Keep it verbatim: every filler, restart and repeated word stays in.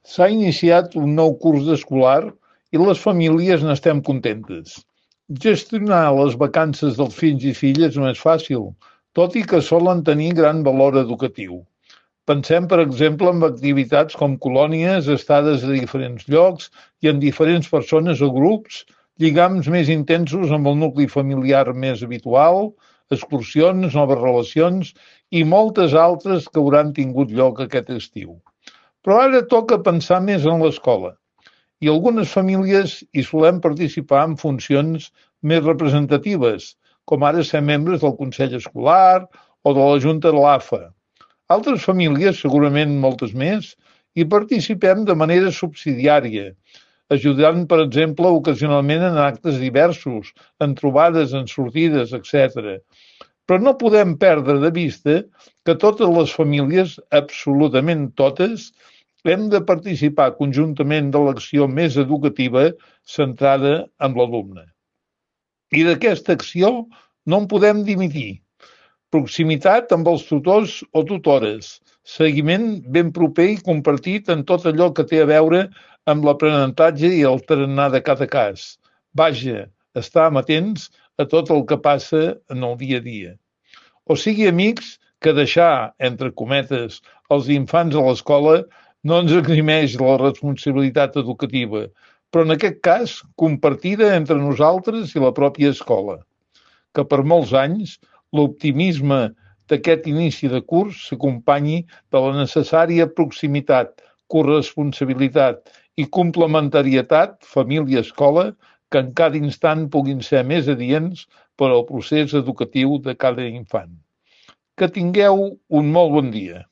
S'ha iniciat un nou curs escolar i les famílies n'estem contentes. Gestionar les vacances dels fills i filles no és fàcil, tot i que solen tenir gran valor educatiu. Pensem, per exemple, en activitats com colònies, estades a diferents llocs i en diferents persones o grups, lligams més intensos amb el nucli familiar més habitual, excursions, noves relacions i moltes altres que hauran tingut lloc aquest estiu. Però ara toca pensar més en l'escola i algunes famílies hi solem participar en funcions més representatives, com ara ser membres del Consell Escolar o de la Junta de l'A F A. Altres famílies, segurament moltes més, hi participem de manera subsidiària, ajudant, per exemple, ocasionalment en actes diversos, en trobades, en sortides, etcètera. Però no podem perdre de vista que totes les famílies, absolutament totes, hem de participar conjuntament de l'acció més educativa centrada en l'alumne. I d'aquesta acció no en podem dimitir. Proximitat amb els tutors o tutores, seguiment ben proper i compartit en tot allò que té a veure amb l'aprenentatge i el tarannà de cada cas. Vaja, estar amatents a tot el que passa en el dia a dia. O sigui, amics, que deixar, entre cometes, els infants a l'escola no ens eximeix la responsabilitat educativa, però en aquest cas compartida entre nosaltres i la pròpia escola. Que per molts anys l'optimisme d'aquest inici de curs s'acompanyi de la necessària proximitat, corresponsabilitat i complementarietat família-escola que en cada instant puguin ser més adients per al procés educatiu de cada infant. Que tingueu un molt bon dia.